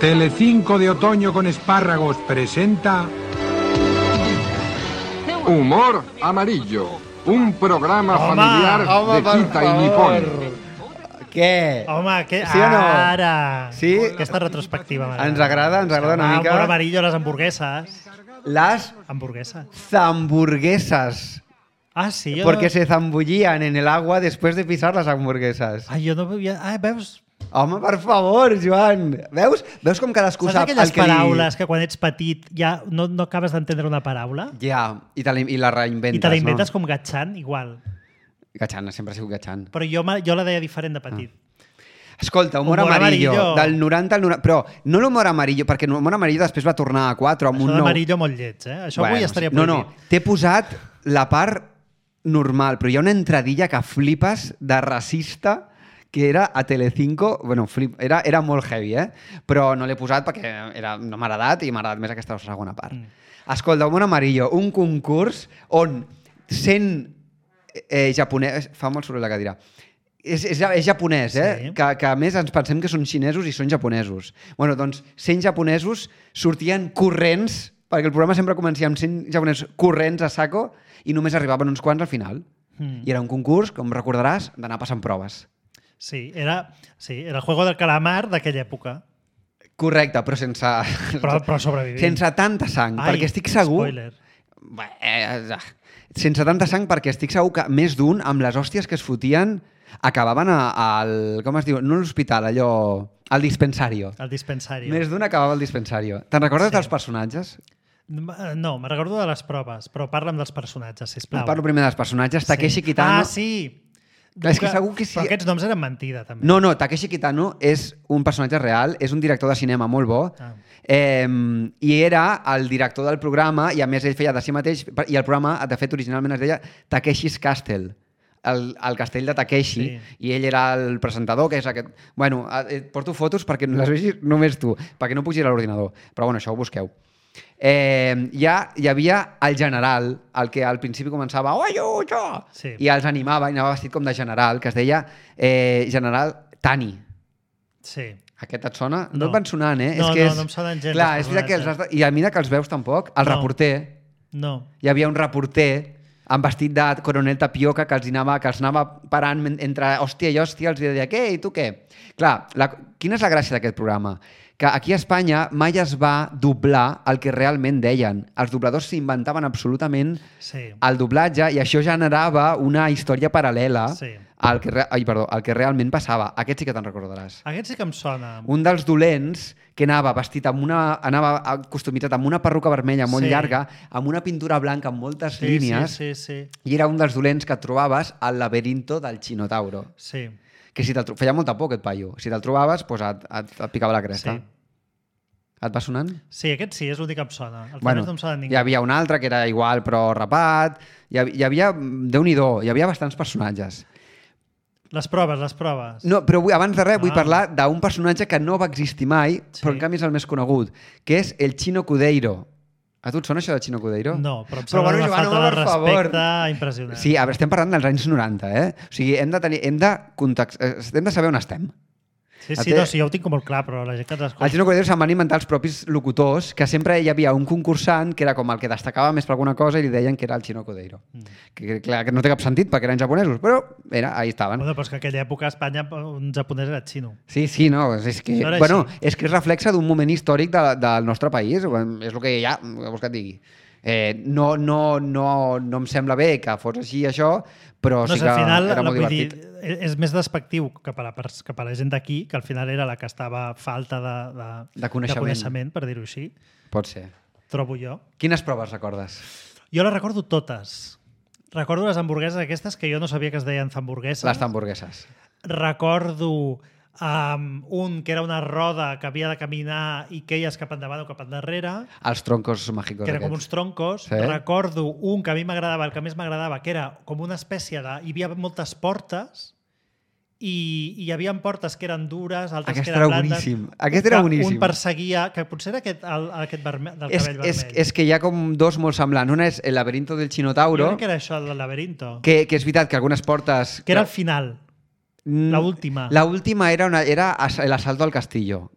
Telecinco de otoño con espárragos presenta Humor Amarillo, un programa Home, familiar home, de per Quita y favor. Nipón. Què? Home, que... Sí o no? Ara! Sí? Aquesta retrospectiva m'agrada. Ens agrada, ens agrada una Home, mica. Humor amarillo, les hamburgueses. Las Hamburguesas. zamburguesas. Ah, sí? Jo Porque no... se zambullían en el agua después de pisar las hamburguesas. Ai, jo no havia... Ah, veus? Home, per favor, Joan. Veus? Veus com cadascú Saps sap aquelles el que paraules que quan ets petit ja no, no acabes d'entendre una paraula? li... Ja, i, te la, i la reinventes, I te la inventes no? com gatxant, igual. Gatxant, sempre ha sigut gatxant. Però jo, me- jo la deia diferent de petit. Escolta, humor, Humor amarillo, amarillo. del noranta al noranta... Però no l'humor amarillo, perquè l'humor amarillo després va tornar a quatre amb Això un nou... d'amarillo molt lleig, eh? Això avui estaria no, prohibit. no, t'he posat la part normal, però hi ha una entradilla que flipes de racista que era a Telecinco, bueno, flip, era, era molt heavy, eh? Però no l'he posat perquè era, no m'ha agradat i m'ha agradat més aquesta segona part. Mm. Escolta, Món Amarillo, un concurs on cent eh, japonès... Fa molt soroll la cadira. És, és, és japonès, eh? Sí. Que, que a més ens pensem que són xinesos i són japonesos. Bueno, doncs cent japonesos sortien corrents, perquè el programa sempre comencia amb cent japonesos corrents a saco i només arribaven uns quants al final. Mm. I era un concurs, com recordaràs, d'anar passant proves. Sí, era, sí, era el juego del calamar d'aquella època. Correcte, però sense... Però, però sobrevivint. Sense tanta sang, Ai, perquè estic segur... Spoiler. Bé, eh, sense tanta sang, perquè estic segur que més d'un, amb les hòsties que es fotien, acabaven al... Com es diu? No a l'hospital, allò... Al dispensario. Al dispensario. Més d'un acabava al dispensario. Te'n recordes Sí. dels personatges? No, me recordo de les proves, però parla'm dels personatges, sisplau. Parlo primer dels personatges. Takeshi Kitano... Ah, sí! Clar, és que segur que sí. Però aquests noms eren mentida, també. No, no, Takeshi Kitano és un personatge real, és un director de cinema molt bo, Ah. eh, i era el director del programa, i a més ell feia de si mateix, i el programa, de fet, originalment es deia Takeshi's Castle, el, el castell de Takeshi, Sí. i ell era el presentador, que és aquest... Bueno, et porto fotos perquè les vegis només tu, perquè no pugi a l'ordinador, però bueno, això ho busqueu. Eh, ja hi havia el general, el que al principi començava oi, oi, oi, Sí. i els animava i anava vestit com de general, que es deia eh, general Tani. Sí. Aquest et sona? No, No. et van sonant, eh? No, és que no, és... no em sonen gens Clar, els és veritat que els has personatges. de... I a mesura que els veus tampoc, el No. reporter, No. hi havia un reporter amb vestit de coronel Tapioca que els anava, que els anava parant men- entre hòstia i hòstia, els deia, què, i tu què? Clar, la... quina és la gràcia d'aquest programa? Que aquí a Espanya mai es va doblar el que realment deien. Els dobladors s'inventaven absolutament Sí. el doblatge i això generava una història paral·lela Sí. al, que re... Ai, perdó, al que realment passava. Aquest sí que te'n recordaràs. Aquest sí que em sona. Un dels dolents que anava vestit amb una... anava costumitzat amb una perruca vermella molt Sí. llarga, amb una pintura blanca amb moltes Sí, línies, sí, sí, sí. i era un dels dolents que et trobaves al laberinto del Xinotauro. Sí. Que si te'l tro... feia molta por aquest paio. Si te'l trobaves, doncs et, et, et picava la cresta. Sí. Et va sonant? Sí, aquest sí, és l'únic que em sona. El Bueno, bueno, no em sona ningú. hi havia un altre que era igual però rapat. Hi havia, hi havia Déu-n'hi-do, hi havia bastants personatges. Les proves, les proves. No, però vull, abans de res vull Ah. parlar d'un personatge que no va existir mai, Sí. però en canvi és el més conegut, que és el Chino Cudeiro. A tu et sona això del Chino Cudeiro? No, però em Però, sembla bueno, una Joan, falta home, de per favor. respecte impressionant. Sí, a veure, estem parlant dels anys noranta, eh? O sigui, hem de, tenir, hem de, context, eh, hem de saber on estem. Sí, El sí, té- no, sí, jo ho tinc com molt clar, però la gent que ens Al escolta... Chino Cudeiro se'n van inventar els propis locutors, que sempre hi havia un concursant que era com el que destacava més per alguna cosa i li deien que era el Chino Cudeiro. Mm. Que, que, clar, que no té cap sentit perquè eren japonesos, però era, ahí estaven. Bueno, però és que en aquella època a Espanya un japonès era xino. Sí, sí, no, és que, No era bueno, així. és que és reflexe d'un moment històric de, del nostre país, és el que hi ha, què vols que et digui. Eh, no, no, no, no em sembla bé que fos així això, però No sí sé, que al final, era molt vull divertit. dir, és més despectiu cap a, la, pers- cap a la gent d'aquí, que al final era la que estava falta de, de, De coneixement. de coneixement, per dir-ho així. Pot ser. Trobo jo. Quines proves recordes? Jo les recordo totes. Recordo les hamburgueses aquestes que jo no sabia que es deien hamburgueses. Les hamburgueses. Recordo um, un que era una roda que havia de caminar i queies cap endavant o cap endarrere, Els troncos màgicos que eren com aquests. uns troncos. Sí. Recordo un que a mi m'agradava, el que més m'agradava, que era com una espècie de... Hi havia moltes portes i, i hi havia portes que eren dures, altres Aquest que era eren blandes. boníssim. Aquest era Que boníssim. Un perseguia, que potser era aquest, el, aquest verme, del És, cabell és, vermell. és que hi ha com dos molt semblants. Una és el laberinto del Jo Xinotauro, crec que era això, del laberinto. que, que és veritat que algunes portes... Que era al final. Mm, la última. La última era, una, era as- l'asalto al castillo.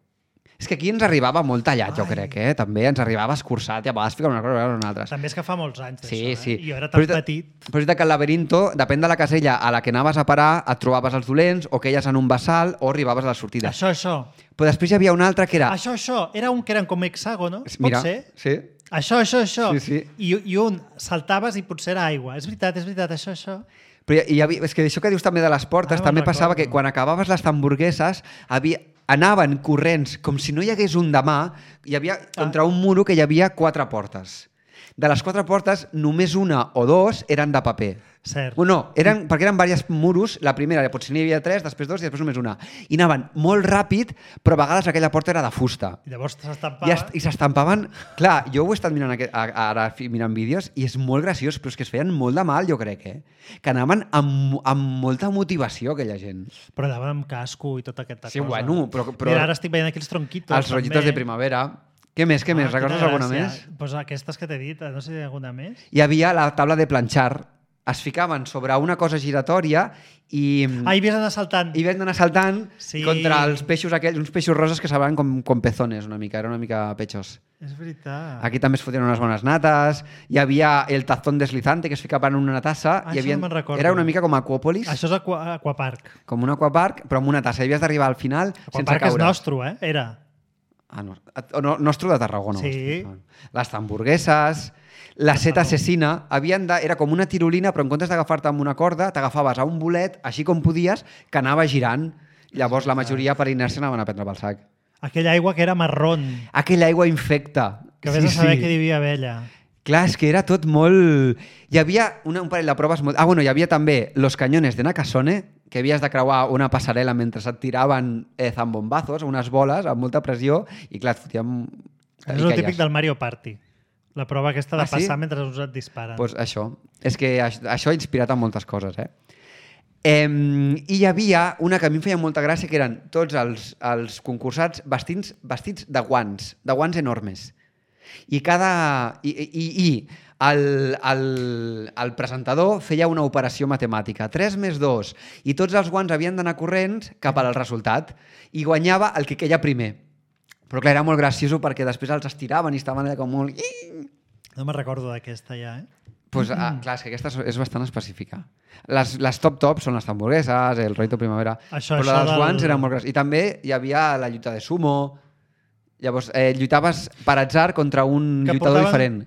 És que aquí ens arribava molt tallat, jo Ai. crec, eh? També ens arribava escurçat i a vegades ficava una cosa i una altra. També és que fa molts anys d'això, Sí, eh? sí. I jo era Però tan és veritat- petit. Però és veritat que el laberinto, depèn de la casella a la que anaves a parar, et trobaves els dolents, o queies en un bassal, o arribaves a la sortida. Això, això. Però després hi havia un altre que era... Això, això. Era un que eren com hexàgonos. Mira, Pot ser? sí. Això, això, això. Sí, sí. I, I un saltaves i potser era aigua. És veritat, és veritat, això, això. Però hi, hi havia, és que això que dius també de les portes, Ara me'n també passava recordo. que quan acabaves les hamburgueses havia, anaven corrents com si no hi hagués un demà, hi havia contra un muro que hi havia quatre portes. De les quatre portes, només una o dos eren de paper. Cert. Bueno, no, eren, perquè eren diversos muros, la primera potser n'hi havia tres, després dos i després només una. I anaven molt ràpid, però a vegades aquella porta era de fusta. I llavors I, s'estampava... est- i s'estampaven... Clar, jo ho he estat mirant aquest, a- ara fi- mirant vídeos i és molt graciós, però és que es feien molt de mal, jo crec, eh? Que anaven amb, amb molta motivació, aquella gent. Però anaven amb casco i tota aquesta Sí, cosa. bueno, però- però- Mira, ara estic veient aquí els tronquitos. Els rotllitos també. de primavera. Què més, què més? Ah, Recordes quina alguna gràcia. més? Pues aquestes que t'he dit, no sé si hi ha alguna més. Hi havia la taula de planxar. Es ficaven sobre una cosa giratòria i... Ah, i havies d'anar saltant. I vam d'anar saltant Sí. contra els peixos aquells, uns peixos roses que saben com, com pezones una mica, era una mica pechos. És veritat. Aquí també es fotien unes bones nates, hi havia el tazón deslizante que es ficava en una tassa, Ah, hi això havia... no me'n recordo. Era una mica com Aquòpolis, Això és aqua, Aquapark. com un aquapark, però amb una tassa, i havies d'arribar al final sense Aquapark és caure. nostre, eh? Era. Ah, no, o no, nostre de Tarragona. Sí. Les hamburgueses, la seta assassina, havien de, era com una tirolina, però en comptes d'agafar-te amb una corda, t'agafaves a un bolet, així com podies, que anava girant. Llavors la majoria per inèrcia anaven a prendre pel sac. Aquella aigua que era marrón, Aquella aigua infecta. que vés a saber que hi havia vella. Clar, és que era tot molt... Hi havia una, un parell de proves molt... Ah, bueno, hi havia també los cañones de Nakasone, que havies de creuar una passarel·la mentre et tiraven eh, zambombazos, unes boles amb molta pressió, i clar, et fotíem... És el típic del Mario Party. La prova aquesta de Ah, sí? passar mentre uns et disparen. Pues això. És que això, això ha inspirat a moltes coses, eh? Eh, I hi havia una que a mi em feia molta gràcia, que eren tots els, els concursats vestits, vestits de guants, de guants enormes. I cada... I, i, i el, el, el presentador feia una operació matemàtica. tres més dos. I tots els guants havien d'anar corrents cap al resultat. I guanyava el que queia primer. Però clar, era molt gracioso perquè després els estiraven i estaven allà com molt... No me'n recordo d'aquesta ja, eh? Pues, ah, clar, és que aquesta és- és bastant específica. Les, les top-top són les hamburgueses, el rollito primavera, Això- però això els del- guants eren molt gràcies. I també hi havia la lluita de sumo. Llavors, eh, lluitaves per atzar contra un Que lluitador portaven- diferent.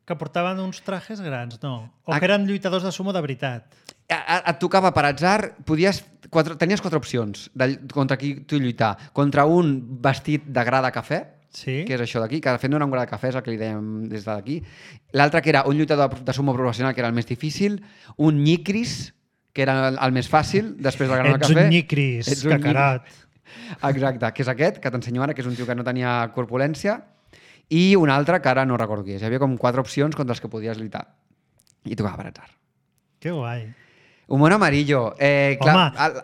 Que portaven uns trajes grans, no? O Ah. que eren lluitadors de sumo de veritat. A- a- Et tocava per atzar, podies, quatre, tenies quatre opcions de, contra qui tu lluitar. Contra un vestit de gra de cafè, Sí? que és això d'aquí, que de fet no era un gra de cafè, és el que li dèiem des d'aquí. L'altre que era un lluitador de sumo professional, que era el més difícil, un nyicris, que era el, el més fàcil, després del gra de Ets cafè. un nyicris, Ets un cacarat. Exacte, que és aquest, que t'ensenyo ara, que és un tio que no tenia corpulència, i un altre que ara no recordo qui és. Hi havia com quatre opcions contra les que podies lluitar. I tocava per atzar. Que guai. Humor amarillo. Eh, clar, Home, el,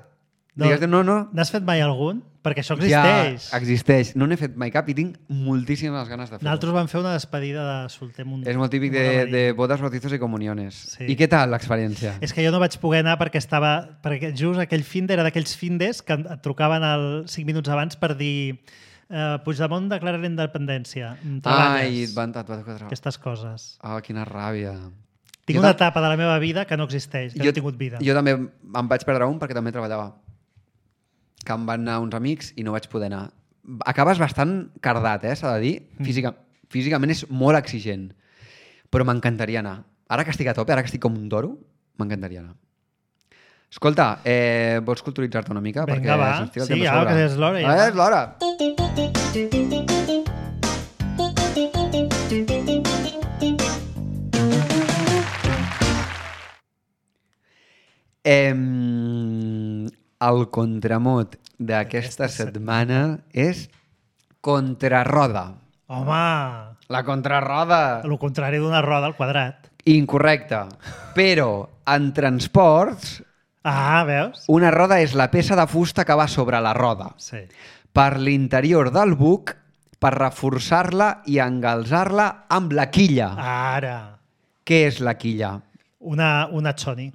digues, no, no, N'has fet mai algun? Perquè això existeix. ja existeix. No n'he fet mai cap i tinc moltíssimes ganes de fer-ho. Nosaltres vam fer una despedida de solter munt. És molt típic de, de bodes, bautizos i comuniones. Sí. I què tal l'experiència? És que jo no vaig poder anar perquè estava... Perquè just aquell finde era d'aquells findes que et trucaven al cinc minuts abans per dir eh, Puigdemont declara la independència. Ai, Treballes. et van, et van quatre... Aquestes coses. Oh, quina ràbia. Tinc Jo una tam- etapa de la meva vida que no existeix, que no he tingut vida. Jo també em vaig perdre un perquè també treballava. Que em van anar uns amics i no vaig poder anar. Acabes bastant cardat, eh, s'ha de dir. Física, físicament és molt exigent. Però m'encantaria anar. Ara que estic a tope, ara que estic com un toro, m'encantaria anar. Escolta, eh, vols culturitzar-te una mica? Vinga, perquè va. se'ns tira el Sí, temps a ja, sobre. que és l'hora, ja. Ah, és l'hora. Eh, el contramot d'aquesta setmana és contrarroda. Home, La contrarroda. el contrari d'una roda al quadrat. Incorrecte. Però en transports, Ah, veus? una roda és la peça de fusta que va sobre la roda Sí. per l'interior del buc per reforçar-la i engalzar-la amb la quilla. Ara. Què és la quilla? Una, una choni.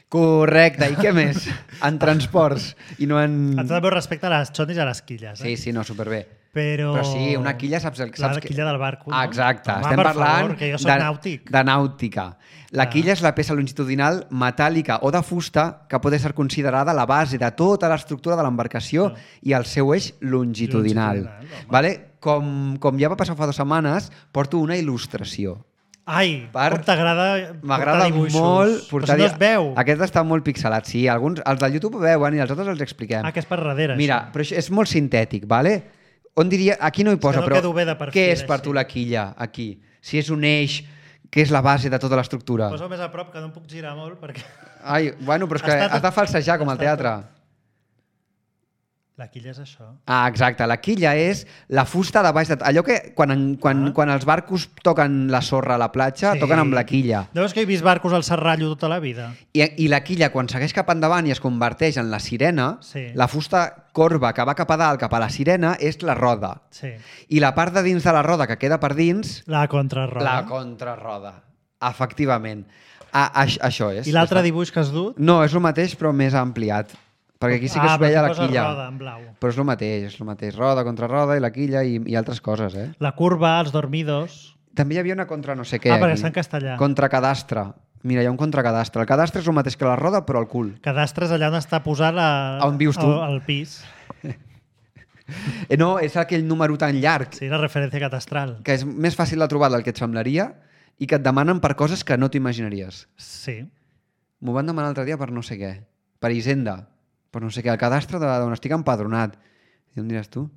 Correcte. I què més? En transports i no en... Amb tot el meu respecte a les chonis i a les quilles. Eh? Sí, sí, no, superbé. Però... Però sí, una quilla saps... El, La saps quilla del barco, no? Ah, exacte. Home, Estem per parlant favor, que jo soc de, nàutic. de nàutica. La Ah. quilla és la peça longitudinal metàl·lica o de fusta que pot ser considerada la base de tota l'estructura de l'embarcació i el seu eix longitudinal. Longitudinal, home. Vale? Com, com ja va passar fa dues setmanes, porto una il·lustració. Ai, Per- com t'agrada M'agrada portar dibuixos. molt portar... Però si no es veu. Aquest està molt pixelat, sí. Alguns, els del YouTube ho veuen i els altres els expliquem. Ah, que és per darrere, Mira, això. però això és molt sintètic, vale? On diria... Aquí no hi posa, no però quedo bé de perfil, què és per així. tu la quilla, aquí? si és un eix que és la base de tota l'estructura. Posa més a prop, que no em puc girar molt, perquè... Ai, bueno, però és que Està tot- has de falsejar com al està teatre. La quilla és això. Ah, exacte. La quilla és la fusta de baix de... Allò que quan, en, quan, Ah. quan els barcos toquen la sorra a la platja, Sí. toquen amb la quilla. No veus que he vist barcos al Serrallo tota la vida? I, I la quilla, quan segueix cap endavant i es converteix en la sirena, Sí. la fusta corba que va cap a dalt, cap a la sirena, és la roda. Sí. I la part de dins de la roda que queda per dins, La contrarroda. la contrarroda. Efectivament. A, a, això és. I l'altre Està- dibuix que has dut? No, és el mateix, però més ampliat. Perquè aquí sí que ah, es veia perquè la posa quilla. roda en blau. Però és el mateix, és el mateix. Roda contra roda i la quilla i, i altres coses, eh? La curva, els dormidos... També hi havia una contra no sé què. Ah, perquè aquí. està en castellà. Contra cadastre. Mira, hi ha un contracadastre. El cadastre és el mateix que la roda, però al cul. Cadastre és allà on està posat la, On vius tu. el, el pis. Eh, no, és aquell número tan llarg Sí, la referència catastral. que és més fàcil de trobar del que et semblaria i que et demanen per coses que no t'imaginaries. Sí. M'ho van demanar l'altre dia per no sé què. Per Hisenda. Per no sé què. El cadastre de- d'on estic empadronat. I em diràs tu?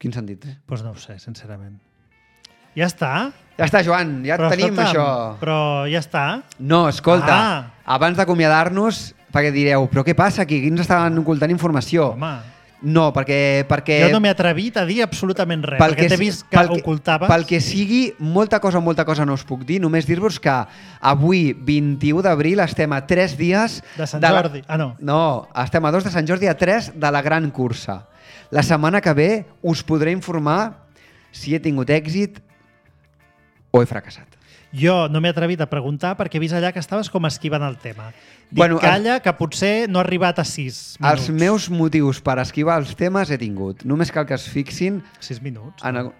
Quin sentit té? Doncs pues no ho sé, sincerament. Ja està? Ja està, Joan. Ja Però, tenim escolta'm, això. Però ja està? No, escolta. Ah. Abans d'acomiadar-nos, perquè direu, però què passa aquí? Aquí ens estaven ocultant informació. Home, No, perquè... perquè jo no m'he atrevit a dir absolutament res, perquè t'he vist que pel ocultaves. Pel que sigui, molta cosa, molta cosa no us puc dir. Només dir-vos que avui, vint-i-u d'abril, estem a tres dies... De Sant la- Jordi. Ah, no. No, estem a dos de Sant Jordi, a tres de la gran cursa. La setmana que ve us podré informar si he tingut èxit o he fracassat. Jo no m'he atrevit a preguntar perquè he vist allà que estaves com esquivant el tema. Dic, Bueno, bueno, calla, que potser no ha arribat a sis minuts. Els meus motius per esquivar els temes he tingut. Només cal que es fixin Sis minuts? en... El...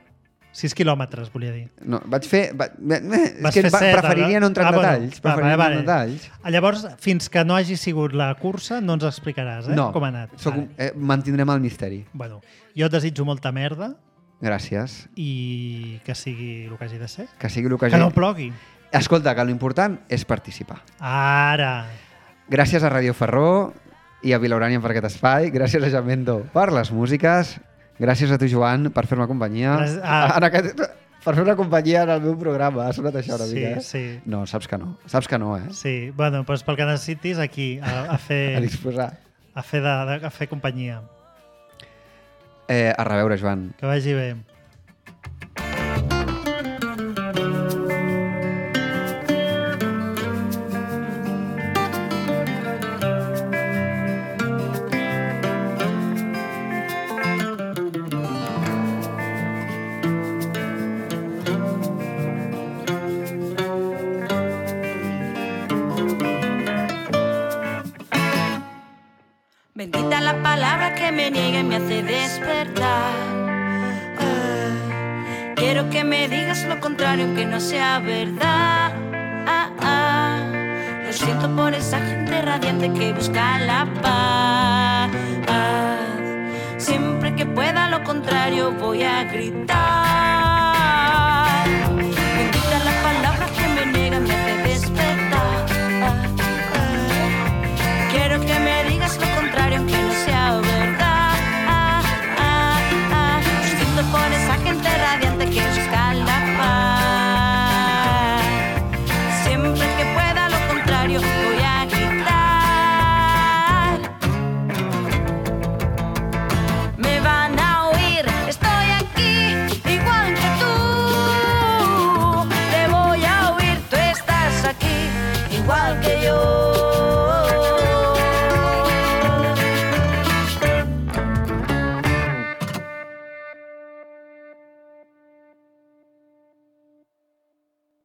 Sis quilòmetres, volia dir. No, vaig fer... Va... És Vas que fer va- set, preferiria no entrar en ah, bueno. detalls. Va, Preferiria vale, no vale. entrar en detalls. Llavors, fins que no hagi sigut la cursa, no ens explicaràs, eh? No, Com ha anat. soc, un- Vale. eh, mantindrem el misteri. Bueno, jo et desitjo molta merda Gràcies. i que sigui el que hagi de ser. Que sigui el que... Que no plogui. Escolta, que l'important és participar. Ara. Gràcies a Radio Ferró i a Vilaurània per aquest espai. Gràcies a Jamendo per les músiques. Gràcies a tu, Joan, per fer-me companyia. Gràcies- ah. En aquest... Per fer una companyia en el meu programa. Ha sonat això una Sí, mica, eh? sí. No, saps que no. Saps que no, eh? Sí, bueno, doncs pel que necessitis aquí, a, a fer, A disposar. a fer, de, de, a fer companyia. Eh, a reveure, Joan. Que vagi bé. Bendita la palabra que me niega y me hace despertar. Ah, quiero que me digas lo contrario, aunque no sea verdad. Ah, ah, lo siento por esa gente radiante que busca la paz. Siempre que pueda lo contrario voy a gritar.